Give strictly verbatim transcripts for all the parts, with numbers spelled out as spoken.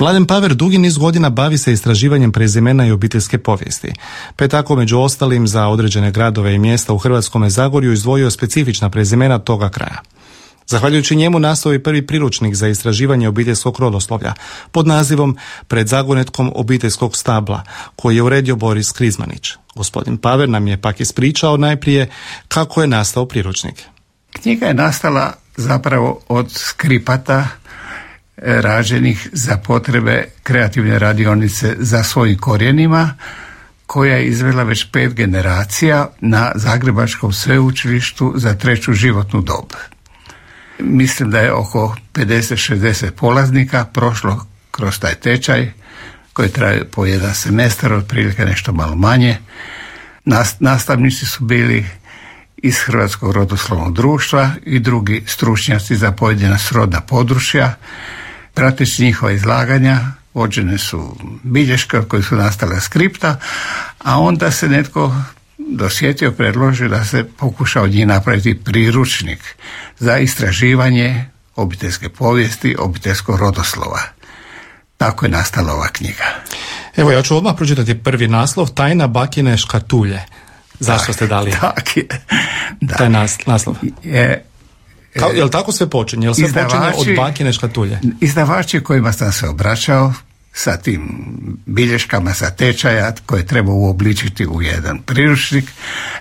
Mladen Paver dugi niz godina bavi se istraživanjem prezimena i obiteljske povijesti, pa je tako među ostalim za određene gradove i mjesta u Hrvatskome Zagorju izdvojio specifična prezimena toga kraja. Zahvaljujući njemu nastao je prvi priručnik za istraživanje obiteljskog rodoslovlja pod nazivom Pred zagonetkom obiteljskog stabla, koji je uredio Boris Krizmanić. Gospodin Paver nam je pak ispričao najprije kako je nastao priručnik. Knjiga je nastala zapravo od skripata rađenih za potrebe kreativne radionice za svojim korijenima, koja je izvela već pet generacija na Zagrebačkom sveučilištu za treću životnu dob. Mislim da je oko pedeset šezdeset polaznika prošlo kroz taj tečaj koji traje po jedan semestar, otprilike nešto malo manje. Nastavnici su bili iz Hrvatskog rodoslovnog društva i drugi stručnjaci za pojedina srodna područja. Prateći njihova izlaganja vođene su bilješke od kojih su nastale skripta, a onda se netko dosjetio, predložio da se pokuša od njih napraviti priručnik za istraživanje obiteljske povijesti, obiteljskog rodoslova. Tako je nastala ova knjiga. Evo, ja ću odmah pročitati prvi naslov, Tajna bakine škatulje. Zašto tak, ste dali tak je, da. taj nas, naslov? Je, Kao, je li tako sve počinje? Je li sve počinje od bakine škatulje? Izdavači kojima sam se obraćao sa tim bilješkama sa tečaja koje treba uobličiti u jedan priručnik,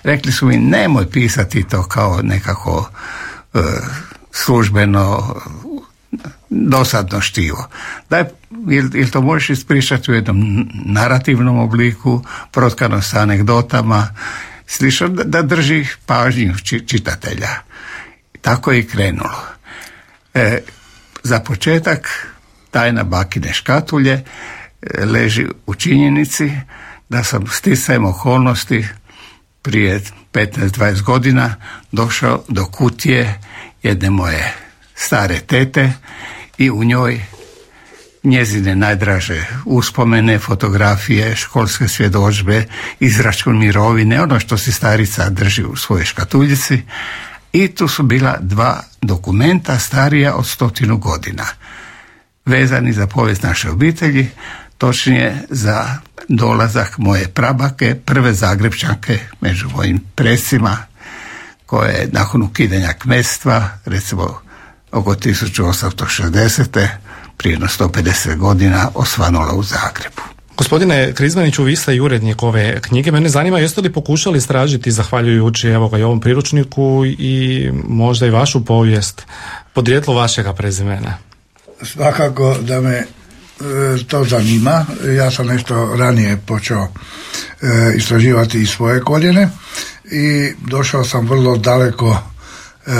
rekli su mi nemoj pisati to kao nekako uh, službeno dosadno štivo. Daj, ili, ili to možeš ispričati u jednom narativnom obliku, protkano sa anegdotama, slično, da, da drži pažnju čitatelja. Tako je i krenulo. E, za početak, tajna bakine škatulje leži u činjenici da sam sticajem okolnosti prije petnaest dvadeset godina došao do kutije jedne moje stare tete i u njoj njezine najdraže uspomene, fotografije, školske svjedodžbe, izračun mirovine, ono što si starica drži u svojoj škatuljici. I tu su bila dva dokumenta starija od stotinu godina, vezani za povijest naše obitelji, točnije za dolazak moje prabake, prve Zagrepčanke među mojim predsima, koje je nakon ukidanja kmetstva, recimo oko tisuću osamsto šezdesete prije sto pedeset godina osvanula u Zagrebu. Gospodine Krizmaniću, vi ste i urednik ove knjige. Mene zanima, jeste li pokušali istražiti, zahvaljujući evo ga i ovom priručniku, i možda i vašu povijest, podrijetlo vašega prezimena? Svakako da me e, to zanima. Ja sam nešto ranije počeo e, istraživati i svoje korijene i došao sam vrlo daleko e,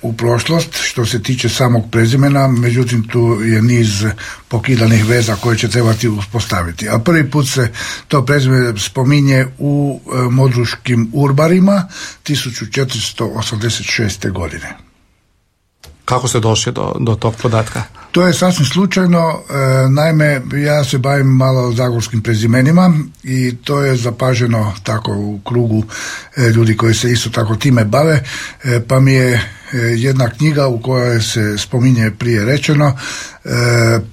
u prošlost što se tiče samog prezimena, međutim tu je niz pokidanih veza koje će trebati uspostaviti. A prvi put se to prezime spominje u e, modruškim urbarima tisuću četiristo osamdeset šeste godine. Kako ste došli do, do tog podatka? To je sasvim slučajno, e, naime ja se bavim malo zagorskim prezimenima i to je zapaženo tako u krugu e, ljudi koji se isto tako time bave, e, pa mi je e, jedna knjiga u kojoj se spominje prije rečeno e,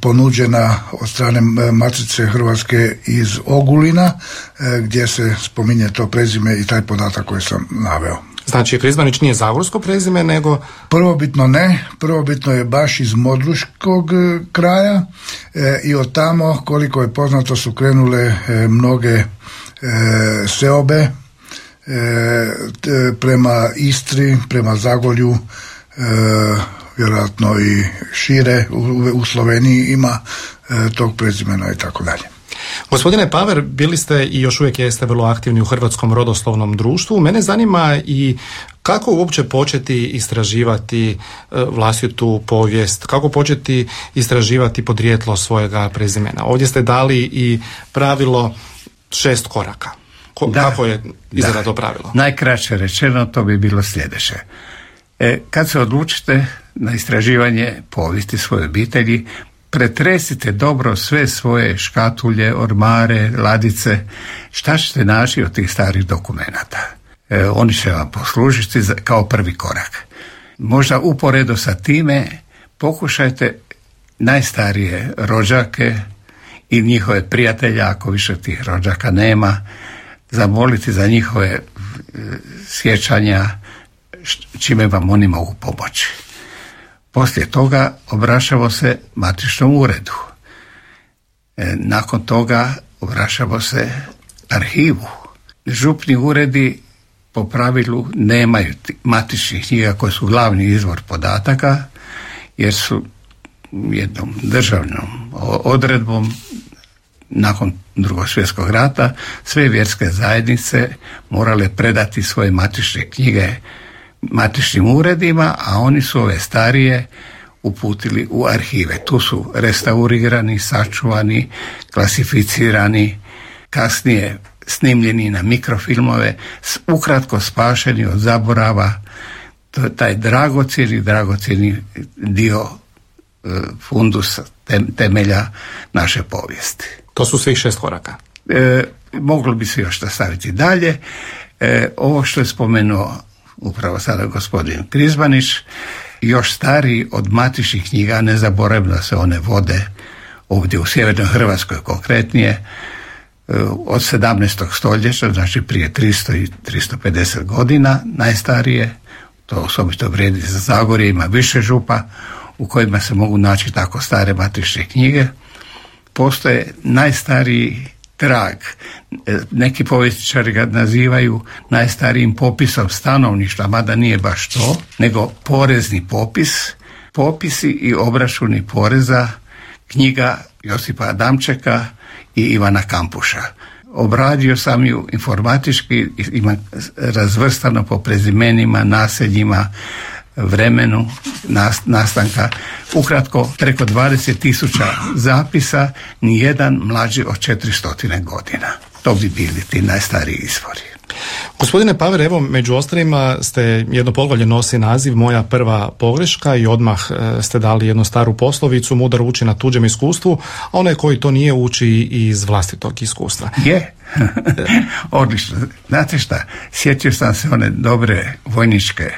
ponuđena od strane Matice Hrvatske iz Ogulina, e, gdje se spominje to prezime i taj podatak koji sam naveo. Znači, Krizmanić nije zagorsko prezime, nego... Prvobitno ne, prvobitno je baš iz modruškog e, kraja e, i od tamo, koliko je poznato, su krenule e, mnoge e, seobe e, t, prema Istri, prema Zagorju, e, vjerojatno i šire, u, u Sloveniji ima e, tog prezimena i tako dalje. Gospodine Paver, bili ste i još uvijek jeste vrlo aktivni u Hrvatskom rodoslovnom društvu. Mene zanima i kako uopće početi istraživati vlastitu povijest, kako početi istraživati podrijetlo svojega prezimena. Ovdje ste dali i pravilo šest koraka. Ko, da, kako je izgleda to pravilo? Najkraće rečeno to bi bilo sljedeće. E, kad se odlučite na istraživanje povijesti svoje obitelji, pretresite dobro sve svoje škatulje, ormare, ladice, šta ćete naći od tih starih dokumenata. E, oni će vam poslužiti kao prvi korak. Možda uporedo sa time pokušajte najstarije rođake i njihove prijatelje, ako više tih rođaka nema, zamoliti za njihove e, sjećanja, čime vam oni mogu pomoći. Poslije toga obraćamo se matičnom uredu. E, nakon toga obraćamo se arhivu. Župni uredi po pravilu nemaju matičnih knjiga koje su glavni izvor podataka, jer su jednom državnom odredbom nakon Drugog svjetskog rata sve vjerske zajednice morale predati svoje matične knjige matičnim uredima, a oni su ove starije uputili u arhive. Tu su restaurirani, sačuvani, klasificirani, kasnije snimljeni na mikrofilmove, ukratko spašeni od zaborava. To je taj dragocjeni, dragocjeni dio e, fundusa, temelja naše povijesti. To su svih šest koraka. E, moglo bi se još nastaviti dalje. E, ovo što je spomenuo upravo sada gospodin Krizmanić, još stariji od matičnih knjiga, ne zaboravimo da se one vode ovdje u sjevernoj Hrvatskoj konkretnije, od sedamnaestog stoljeća, znači prije tristo i tristo pedeset godina, najstarije, to osobito vrijedi za Zagorje, ima više župa u kojima se mogu naći tako stare matične knjige. Postoje najstariji trag, neki povjesničari ga nazivaju najstarijim popisom stanovništva, mada nije baš to, nego porezni popis, popisi i obračuni poreza, knjiga Josipa Adamčeka i Ivana Kampuša. Obradio sam ju informatički, ima razvrstano po prezimenima, naseljima, vremenu nastanka. Ukratko, preko dvadeset tisuća zapisa, nijedan mlađi od četiristo godina. To bi bili ti najstariji izvori. Gospodine Paver, evo među ostalima ste jedno poglavlje nosi naziv Moja prva pogreška i odmah ste dali jednu staru poslovicu, mudar uči na tuđem iskustvu, a onaj koji to nije uči iz vlastitog iskustva. Je, odlično. Znate šta, sjetio sam se one dobre vojničke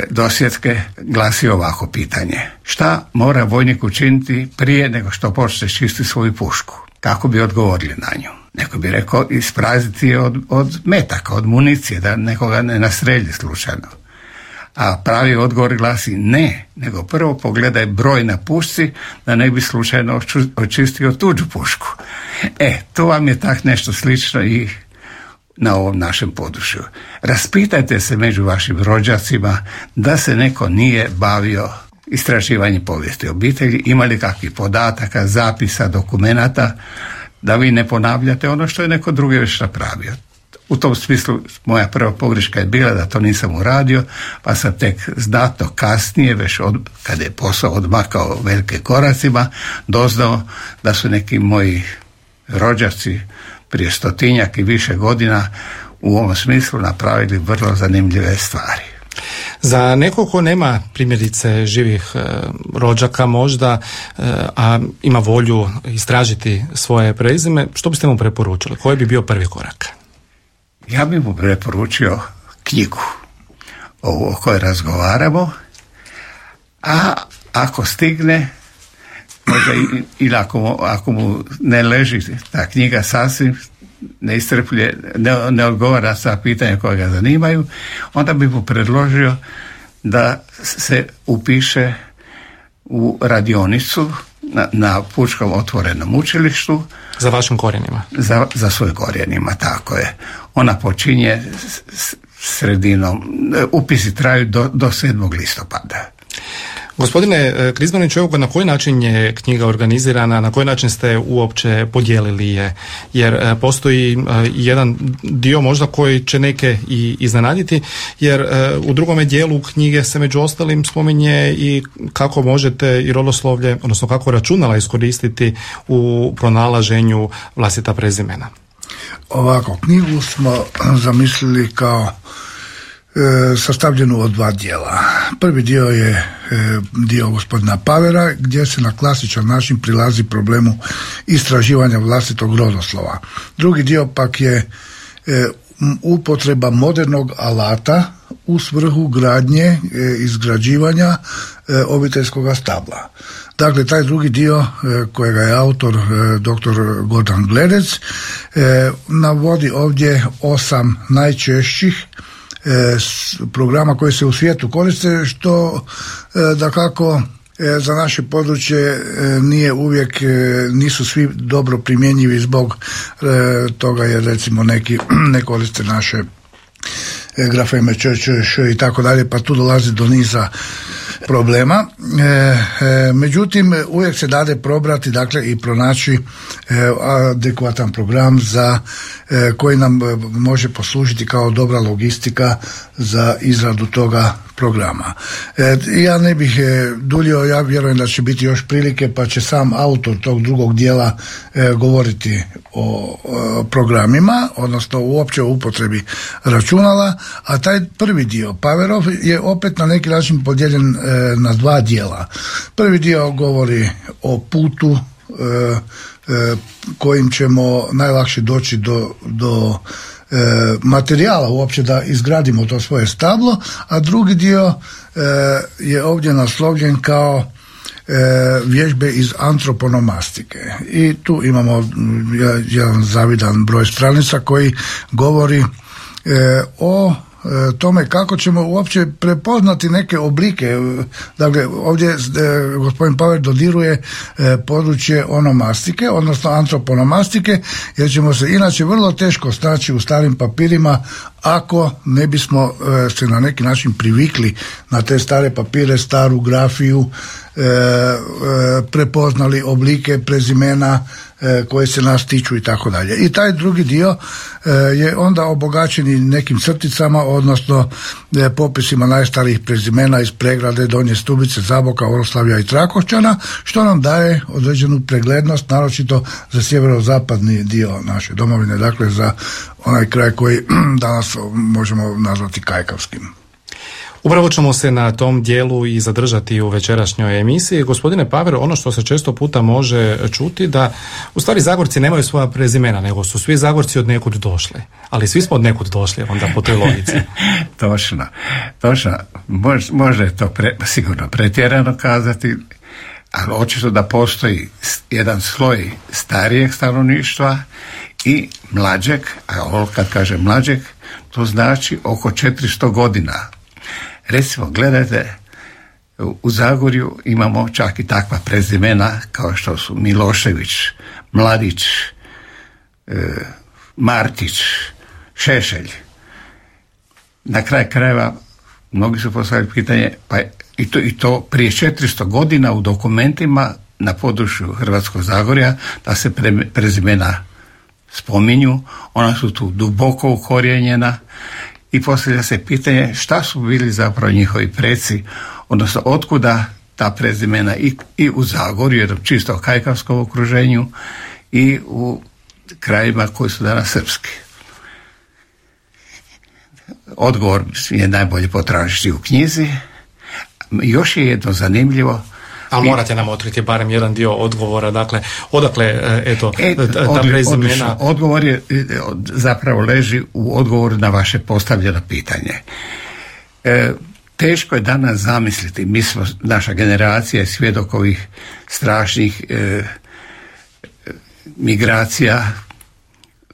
dosjetke, glasi ovako pitanje. Šta mora vojnik učiniti prije nego što počne čistiti svoju pušku? Kako bi odgovorili na nju? Neko bi rekao isprazniti je od, od metaka, od municije, da nekoga ne nastrelji slučajno. A pravi odgovor glasi ne, nego prvo pogledaj broj na pušci da ne bi slučajno očistio tuđu pušku. E, to vam je tak nešto slično i na ovom našem području. Raspitajte se među vašim rođacima da se neko nije bavio istraživanjem povijesti obitelji, imali kakvih podataka, zapisa, dokumenata, da vi ne ponavljate ono što je neko drugi već napravio. U tom smislu moja prva pogreška je bila da to nisam uradio, pa sam tek znatno kasnije, već od, kada je posao odmakao velike koracima, doznao da su neki moji rođaci prije stotinjak i više godina u ovom smislu napravili vrlo zanimljive stvari. Za nekog ko nema primjerice živih e, rođaka možda, e, a ima volju istražiti svoje prezime, što biste mu preporučili? Koji bi bio prvi korak? Ja bih mu preporučio knjigu o kojoj razgovaramo, a ako stigne, možda i, ili ako mu, ako mu ne leži ta knjiga sasvim, ne istrpljuje, ne, ne odgovara sa pitanja koja ga zanimaju, onda bi mu predložio da se upiše u radionicu na, na Pučkom otvorenom učilištu. Za vašim korijenima? Za, za svojim korijenima, tako je. Ona počinje s, sredinom, upisi traju do, do sedmog listopada. Gospodine Krizmanić, evo na koji način je knjiga organizirana, na koji način ste uopće podijelili je, jer postoji jedan dio možda koji će neke i iznenaditi, jer u drugome dijelu knjige se među ostalim spominje i kako možete i rodoslovlje, odnosno kako računala iskoristiti u pronalaženju vlastita prezimena. Ovako, knjigu smo zamislili kao sastavljenu od dva dijela. Prvi dio je dio gospodina Pavera, gdje se na klasičan način prilazi problemu istraživanja vlastitog rodoslova. Drugi dio pak je upotreba modernog alata u svrhu gradnje, e, izgrađivanja e, obiteljskog stabla. Dakle, taj drugi dio e, kojega je autor e, doktor Gordan Gledec e, navodi ovdje osam najčešćih e, s, programa koji se u svijetu koriste, što e, dakako e, za naše područje e, nije uvijek, e, nisu svi dobro primjenjivi zbog e, toga jer recimo neki ne koriste naše grafeme č, č, š i tako dalje, pa tu dolazi do niza problema. E, e, međutim, uvijek se dade probrati, dakle, i pronaći e, adekvatan program za e, koji nam može poslužiti kao dobra logistika za izradu toga programa. E, ja ne bih e, duljio, ja vjerujem da će biti još prilike, pa će sam autor tog drugog dijela e, govoriti o, o programima, odnosno uopće o upotrebi računala, a taj prvi dio, Power Off, je opet na neki način podijeljen e, na dva dijela. Prvi dio govori o putu e, e, kojim ćemo najlakše doći do, do E, materijala uopće da izgradimo to svoje stablo, a drugi dio e, je ovdje naslovljen kao e, vježbe iz antroponomastike. I tu imamo jedan zavidan broj stranica koji govori e, o tome kako ćemo uopće prepoznati neke oblike. Dakle, ovdje e, gospodin Power dodiruje e, područje onomastike, odnosno antroponomastike, jer ćemo se inače vrlo teško snaći u starim papirima ako ne bismo e, se na neki način privikli na te stare papire, staru grafiju, e, e, prepoznali oblike, prezimena e, koje se nas tiču i tako dalje. I taj drugi dio e, je onda obogaćen i nekim crticama, odnosno e, popisima najstarijih prezimena iz Pregrade, Donje Stubice, Zaboka, Oroslavlja i Trakošćana, što nam daje određenu preglednost, naročito za sjeverozapadni dio naše domovine, dakle za onaj kraj koji danas možemo nazvati kajkavskim. Upravo ćemo se na tom dijelu i zadržati u večerašnjoj emisiji. Gospodine Power, ono što se često puta može čuti da u stvari Zagorci nemaju svoja prezimena, nego su svi Zagorci od nekud došli. Ali svi smo od nekud došli onda po toj logici. Točno, točno. Može, može to pre, sigurno pretjerano kazati, ali očito da postoji jedan sloj starijeg stanovništva i mlađeg, a ovo kad kaže mlađeg, to znači oko četiristo godina. Recimo, gledajte, u Zagorju imamo čak i takva prezimena kao što su Milošević, Mladić, e, Martić, Šešelj. Na kraj krajeva mnogi su postavili pitanje, pa i to, i to prije četiristo godina u dokumentima na području Hrvatskog Zagorja da se pre, prezimena spominju, ona su tu duboko ukorijenjena i postavlja se pitanje šta su bili zapravo njihovi preci, odnosno otkuda ta prezimena i, i u Zagorju, jednom čisto kajkavskom okruženju, i u krajima koji su danas srpski. Odgovor je najbolje potražiti u knjizi. Još je jedno zanimljivo. Ali morate nam otkriti barem jedan dio odgovora, dakle, odakle, eto, e, ta odli, prezimena... Odlično. Odgovor je, zapravo leži u odgovoru na vaše postavljeno pitanje. E, teško je danas zamisliti, mi smo, naša generacija je svjedok ovih strašnih e, migracija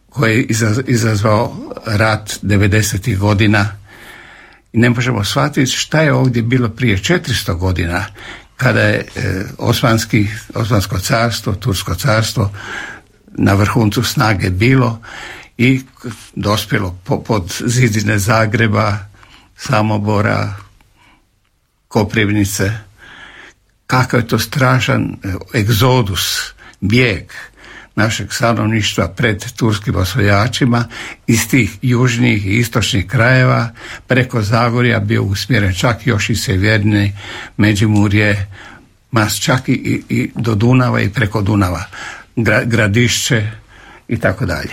koje je izazvao rat devedesetih godina i ne možemo shvatiti šta je ovdje bilo prije četiristo godina, kada je e, Osmanski, Osmansko carstvo, Tursko carstvo na vrhuncu snage bilo i dospjelo po, pod zidine Zagreba, Samobora, Koprivnice. Kakav je to strašan egzodus, bijeg našeg stanovništva pred turskim osvajačima iz tih južnih i istočnih krajeva preko Zagorja bio usmjeren čak još i sjevernije Međimurje, mas čak i, i do Dunava i preko Dunava, Gra, Gradišće i tako dalje.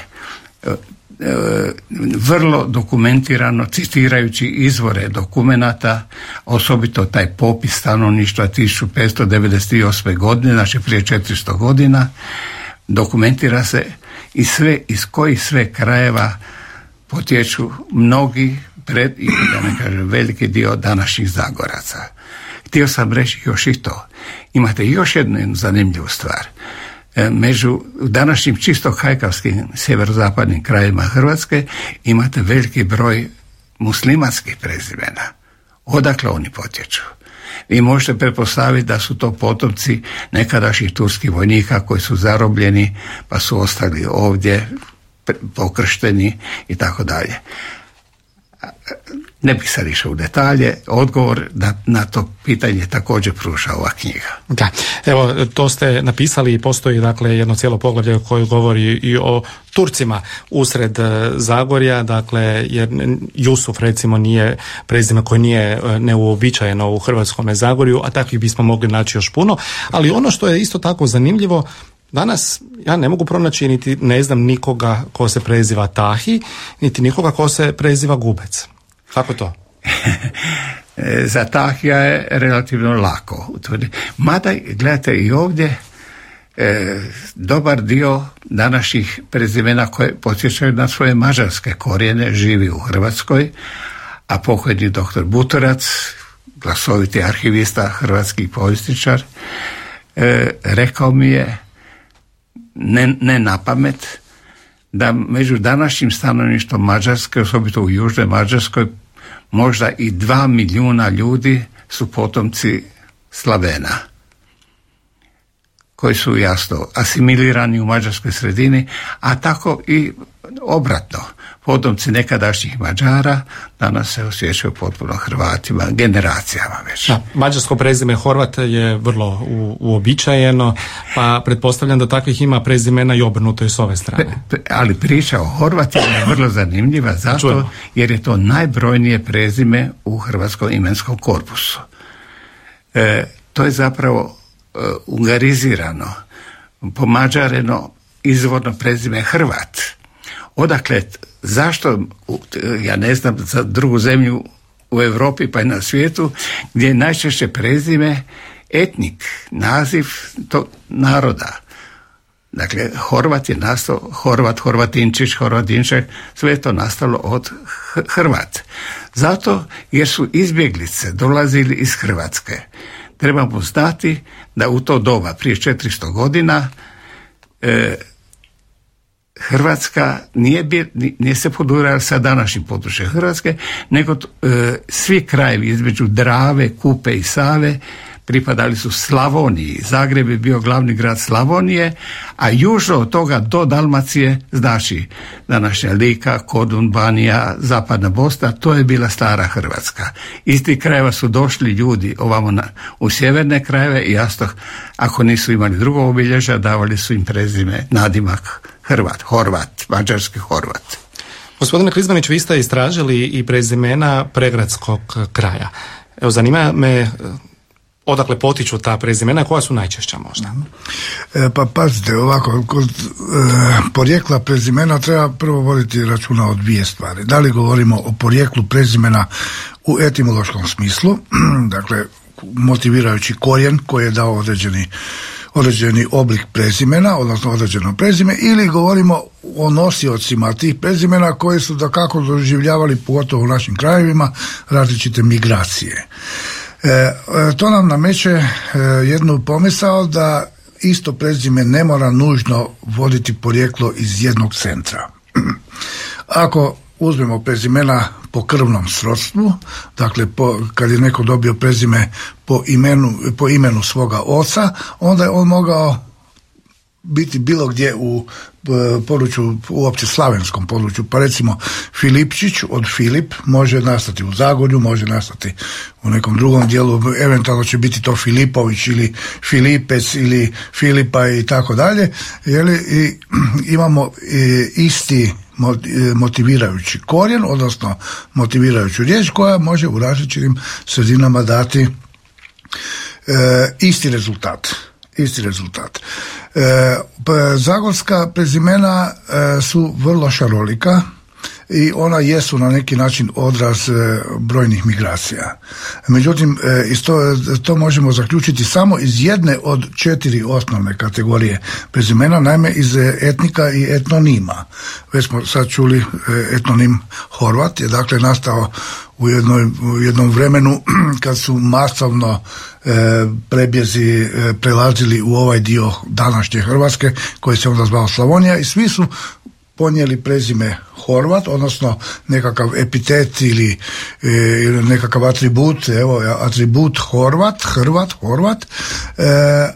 Vrlo dokumentirano, citirajući izvore dokumenata, osobito taj popis stanovništva tisuću petsto devedeset osme godine, znači prije četiristo godina, dokumentira se i sve iz kojih sve krajeva potječu mnogi pred, da ne kažem, veliki dio današnjih Zagoraca. Htio sam reći još i to. Imate još jednu zanimljivu stvar. Među današnjim čisto kajkavskim sjeverozapadnim krajima Hrvatske imate veliki broj muslimanskih prezimena. Odakle oni potječu? Vi možete pretpostaviti da su to potomci nekadašnjih turskih vojnika koji su zarobljeni pa su ostali ovdje pokršteni i tako dalje. Ne bih sad išao u detalje, odgovor na, na to pitanje također pruža ova knjiga. Da, evo, to ste napisali i postoji dakle jedno cijelo poglavlje koje govori i o Turcima usred Zagorja, dakle jer Jusuf recimo nije prezime koje nije neuobičajeno u Hrvatskome Zagorju, a takvih bismo mogli naći još puno, ali ono što je isto tako zanimljivo, danas ja ne mogu pronaći niti ne znam nikoga ko se preziva Tahi, niti nikoga ko se preziva Gubec. Kako to? Za Tahija je relativno lako utvrditi. Mada, gledajte, i ovdje e, dobar dio današnjih prezimena koje podsjećaju na svoje mađarske korijene živi u Hrvatskoj, a pokojni doktor Butorac, glasoviti arhivista, hrvatski povjesničar, e, rekao mi je ne, ne na pamet da među današnjim stanovništvom Mađarske, osobito u južnoj Mađarskoj, možda i dva milijuna ljudi su potomci Slavena, koji su jasno asimilirani u mađarskoj sredini, a tako i obratno. Potomci nekadašnjih Mađara danas se osjećaju potpuno Hrvatima, generacijama već. Da, mađarsko prezime Horvat je vrlo u, uobičajeno, pa pretpostavljam da takvih ima prezimena i obrnuto i s ove strane. Pe, pe, ali priča o Horvatima je vrlo zanimljiva zato Čujemo. jer je to najbrojnije prezime u hrvatskom imenskom korpusu. E, to je zapravo e, ungarizirano, pomađareno izvorno prezime Hrvat. Odakle, zašto, ja ne znam za drugu zemlju u Europi pa i na svijetu, gdje je najčešće prezime etnik, naziv tog naroda. Dakle, Horvat je nastao, Horvat, Horvatinčić, Horvatinček, sve je to nastalo od Hrvat. Zato jer su izbjeglice dolazili iz Hrvatske. Trebamo znati da u to doba, prije četiristo godina, e, Hrvatska nije, bil, nije se podurala sa današnjim područjem Hrvatske, nego e, svi krajevi između Drave, Kupe i Save pripadali su Slavoniji. Zagreb je bio glavni grad Slavonije, a južno od toga do Dalmacije, znači današnja Lika, Kodun, Banija, Zapadna Bosna, to je bila stara Hrvatska. Iz tih krajeva su došli ljudi ovamo na, u sjeverne krajeve i jasno, ako nisu imali drugog obilježja, davali su im prezime, nadimak Hrvat, Horvat, mađarski Horvat. Gospodine Krizmanić, vi ste istražili i prezimena pregradskog kraja. Evo, zanima me odakle potiču ta prezimena, koja su najčešća možda? E, pa pazite, ovako, kod e, porijekla prezimena treba prvo voditi računa o dvije stvari. Da li govorimo o porijeklu prezimena u etimološkom smislu, dakle, motivirajući korijen koji je dao određeni određeni oblik prezimena, odnosno određeno prezime, ili govorimo o nosiocima tih prezimena koji su dakako doživljavali, pogotovo u našim krajevima, različite migracije. E, to nam nameće e, jednu pomisao da isto prezime ne mora nužno voditi porijeklo iz jednog centra. Ako uzmemo prezimena po krvnom srodstvu, dakle po, kad je neko dobio prezime po imenu, po imenu svoga oca, onda je on mogao biti bilo gdje u području, uopće slavenskom području, pa recimo Filipčić od Filip može nastati u Zagorju, može nastati u nekom drugom dijelu, eventualno će biti to Filipović ili Filipec ili Filipa i tako dalje, jeli, i imamo i, isti motivirajući korijen, odnosno motivirajuću riječ koja može u različitim sredinama dati e, isti rezultat. Isti rezultat. E, zagorska prezimena e, su vrlo šarolika i ona jesu na neki način odraz brojnih migracija. Međutim, isto, to možemo zaključiti samo iz jedne od četiri osnovne kategorije prezimena, naime iz etnika i etnonima. Već smo sad čuli etnonim Horvat je dakle nastao u, jednoj, u jednom vremenu kad su masovno e, prebjezi e, prelazili u ovaj dio današnje Hrvatske koji se onda zvao Slavonija i svi su ponijeli prezime Horvat, odnosno nekakav epitet ili e, nekakav atribut, evo atribut Horvat, Hrvat, Horvat, e,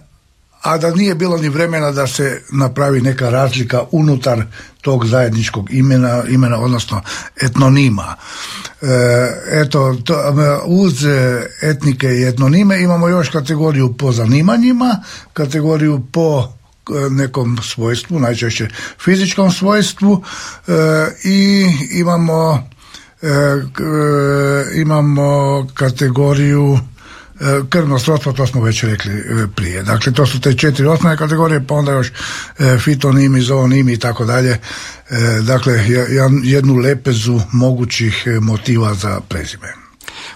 a da nije bilo ni vremena da se napravi neka razlika unutar tog zajedničkog imena, imena odnosno etnonima. E, eto, to, uz etnike i etnonime imamo još kategoriju po zanimanjima, kategoriju po nekom svojstvu, najčešće fizičkom svojstvu e, i imamo e, e, imamo kategoriju krvno srodstvo, to smo već rekli prije. Dakle, to su te četiri osnovne kategorije, pa onda još fitonimi, zoonimi i tako dalje. Dakle, jednu lepezu mogućih motiva za prezime.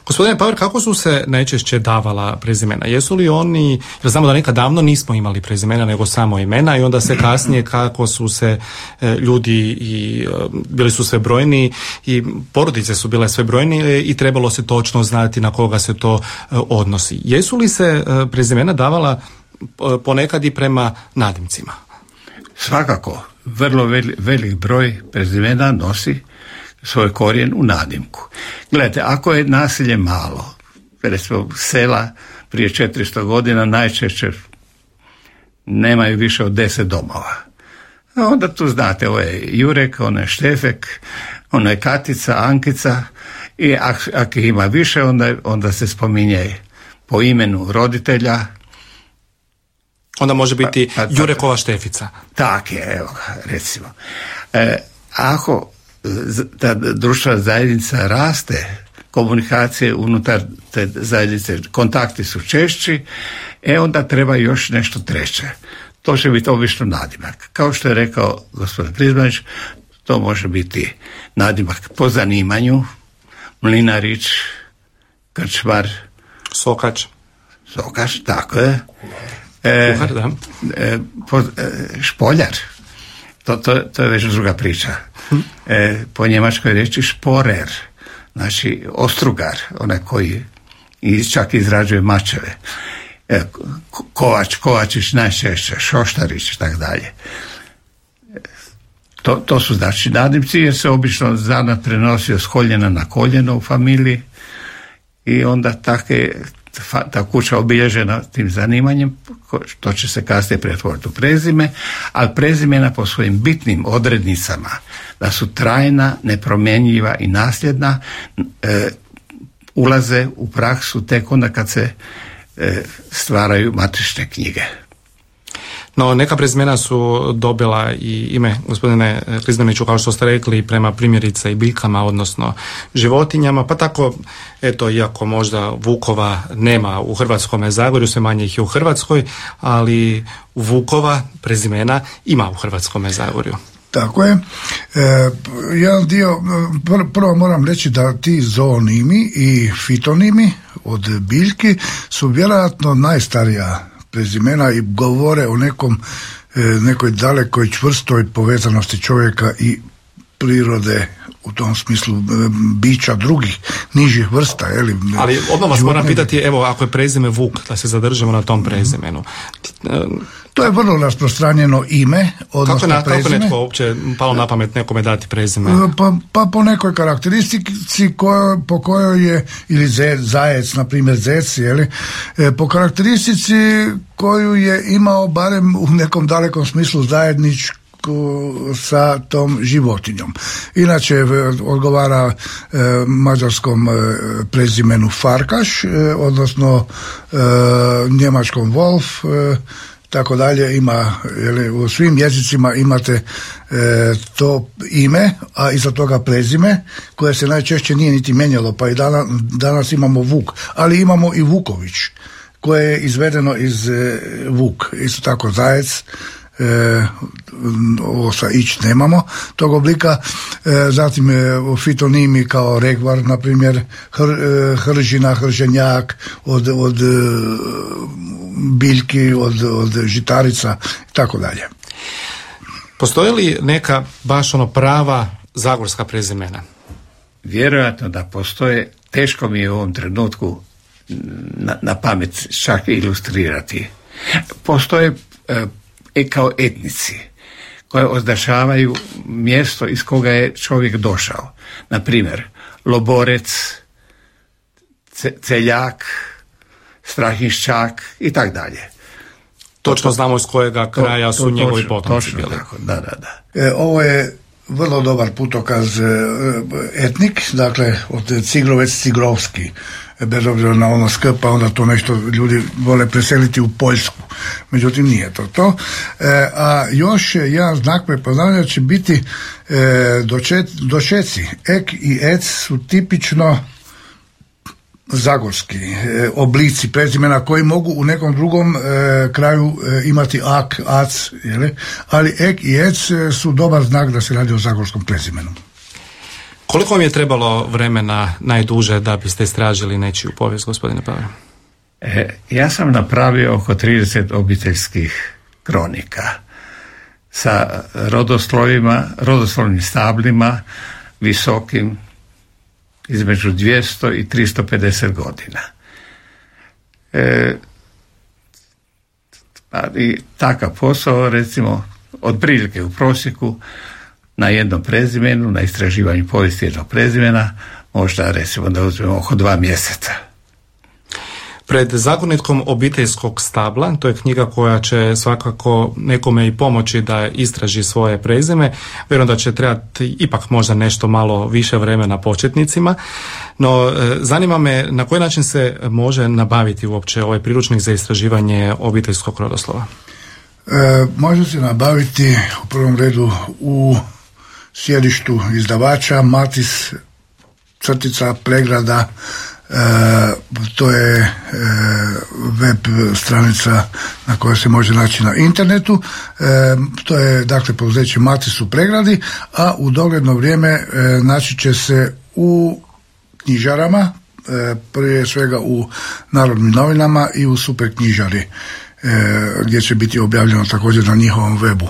Gospodine Pauer, kako su se najčešće davala prezimena? Jesu li oni, jer znamo da nekad davno nismo imali prezimena nego samo imena i onda se kasnije kako su se e, ljudi i e, bili su sve brojni i porodice su bile sve brojni i trebalo se točno znati na koga se to e, odnosi. Jesu li se e, prezimena davala e, ponekad i prema nadimcima? Svakako, vrlo veli, velik broj prezimena nosi svoj korijen u nadimku. Gledajte, ako je naselje malo, recimo sela prije četiristo godina najčešće nemaju više od deset domova. A onda tu znate, ovo je Jurek, ono je Štefek, ono je Katica, Ankica i ak, ak ih ima više, onda, onda se spominje po imenu roditelja. Onda može biti pa, pa, Jurekova Štefica. Tak je, evo recimo. E, ako ta društvena zajednica raste, komunikacije unutar te zajednice, kontakti su češći, e onda treba još nešto treće. To će biti obično nadimak. Kao što je rekao gospodin Krizmanić, to može biti nadimak po zanimanju, mlinarić, krčmar, Sokač. Sokač, tako je. E, Kuhar, da. E, po, e, špoljar. To, to, to je već druga priča. E, po njemačkoj reći šporer, znači ostrugar, onaj koji čak izrađuje mačeve. E, Kovač, Kovačić najčešće, Šoštarić i tako dalje. To, to su znači nadimci jer se obično zanat prenosio s koljena na koljeno u familiji i onda take, ta kuća obilježena tim zanimanjem, to će se kasnije pretvoriti u prezime, ali prezimena po svojim bitnim odrednicama, da su trajna, nepromjenjiva i nasljedna, e, ulaze u praksu tek onda kad se e, stvaraju matične knjige. No, neka prezimena su dobila i ime, gospodine Krizdaniću, kao što ste rekli, prema primjerice i biljkama, odnosno životinjama, pa tako, eto, iako možda vukova nema u Hrvatskome Zagorju, sve manje ih je u Hrvatskoj, ali vukova prezimena ima u Hrvatskome Zagorju. Tako je. E, jedan dio, pr- prvo moram reći da ti zoonimi i fitonimi od biljki su vjerojatno najstarija prezimena i govore o nekom, e, nekoj dalekoj čvrstoj povezanosti čovjeka i prirode, u tom smislu e, bića drugih nižih vrsta. Jeli, Ali odmah vas moram pitati, evo, ako je prezime Vuk, da se zadržimo na tom prezimenu. To je vrlo rasprostranjeno ime, odnosno kako, na, prezime. kako netko uopće palo na pamet nekome dati prezime? Pa, pa po nekoj karakteristici ko, po kojoj je, ili zec, zajec, na primjer zec, jeli, e, po karakteristici koju je imao barem u nekom dalekom smislu zajedničku sa tom životinjom. Inače odgovara e, mađarskom e, prezimenu Farkaš, e, odnosno e, njemačkom Wolf, e, tako dalje. Ima, jeli, u svim jezicima imate e, to ime, a iza toga prezime, koje se najčešće nije niti mijenjalo, pa i danas, danas imamo Vuk, ali imamo i Vuković, koje je izvedeno iz e, Vuk, isto tako zajec, e, ovo sa ić nemamo tog oblika, e, zatim e, fitonimi kao regvar, na primjer, hr, e, hržina, hrženjak od, od e, biljki, od, od žitarica i tako dalje. Postoje li neka baš ono prava zagorska prezimena? Vjerojatno da postoje, teško mi je u ovom trenutku na, na pamet čak ilustrirati. Postoje e, kao etnici koje označavaju mjesto iz koga je čovjek došao. Na primjer, Loborec, ce, Celjak, Strahinščak i tak dalje. Točno znamo iz kojega kraja to, to, su njegovi potomci bili. Tako, da, da, da. E, ovo je vrlo dobar putokaz etnik, dakle od Cigrovec Cigrovski, bez obzira na ono sk, pa onda to nešto ljudi vole preseliti u Poljsku. Međutim, nije to to. E, a još jedan znak prepoznavanja će biti e, dočet, dočeci. Ek i ec su tipično zagorski e, oblici prezimena koji mogu u nekom drugom e, kraju e, imati ak, ac, jeli? Ali ek i ec su dobar znak da se radi o zagorskom prezimenu. Koliko vam je trebalo vremena najduže da biste istražili nečiju povijest, gospodine Paver? E, ja sam napravio oko trideset obiteljskih kronika sa rodoslovima, rodoslovnim stablima visokim između dvjesto i tristo pedeset godina. E, i takav posao, recimo, od prilike u prosjeku na jednom prezimenu, na istraživanju povijesti jednog prezimena, možda recimo da uzmemo oko dva mjeseca. Pred zagonetkom obiteljskog stabla, to je knjiga koja će svakako nekome i pomoći da istraži svoje prezime. Vjerujem da će trebati ipak možda nešto malo više vremena početnicima, no zanima me na koji način se može nabaviti uopće ovaj priručnik za istraživanje obiteljskog rodoslova. E, može se nabaviti u prvom redu u sjedištu izdavača Matis crtica Pregrada. E, to je e, web stranica na kojoj se može naći na internetu. E, to je dakle poduzeće Matis u Pregradi, a u dogledno vrijeme e, naći će se u knjižarama, e, prije svega u Narodnim novinama i u Super knjižari, e, gdje će biti objavljeno također na njihovom webu.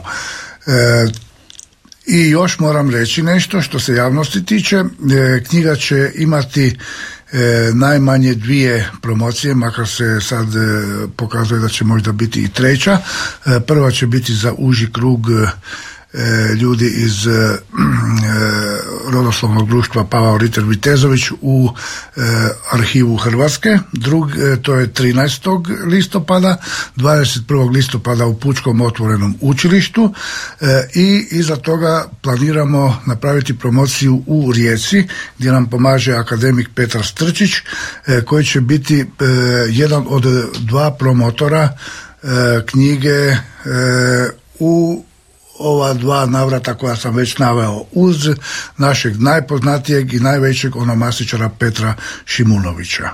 E, I još moram reći nešto što se javnosti tiče. E, knjiga će imati E, najmanje dvije promocije, makar se sad e, pokazuje da će možda biti i treća. E, prva će biti za uži krug e, ljudi iz e, rodoslovnog društva Pavao Riter Vitezović u e, arhivu Hrvatske. Drug, e, to je trinaestog listopada, dvadeset prvog listopada u Pučkom otvorenom učilištu e, i iza toga planiramo napraviti promociju u Rijeci gdje nam pomaže akademik Petar Strčić e, koji će biti e, jedan od dva promotora e, knjige e, u ova dva navrata koja sam već naveo uz našeg najpoznatijeg i najvećeg onomasičara Petra Šimunovića.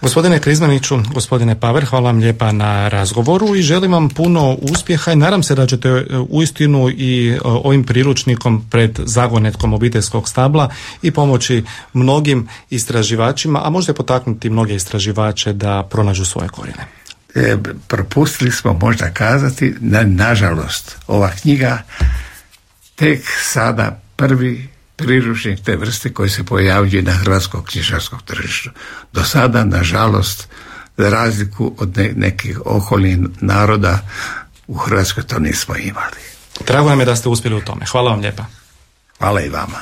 Gospodine Krizmaniću, gospodine Paver, hvala vam lijepa na razgovoru i želim vam puno uspjeha i nadam se da ćete uistinu i ovim priručnikom pred zagonetkom obiteljskog stabla i pomoći mnogim istraživačima, a možda potaknuti mnoge istraživače da pronađu svoje korijene. E, propustili smo možda kazati, na, nažalost, ova knjiga tek sada prvi priručnik te vrste koji se pojavljuje na hrvatskom knjižarskom tržištu. Do sada, nažalost, za razliku od ne, nekih okolnih naroda, u Hrvatskoj to nismo imali. Drago nam je da ste uspjeli u tome. Hvala vam lijepa. Hvala i vama.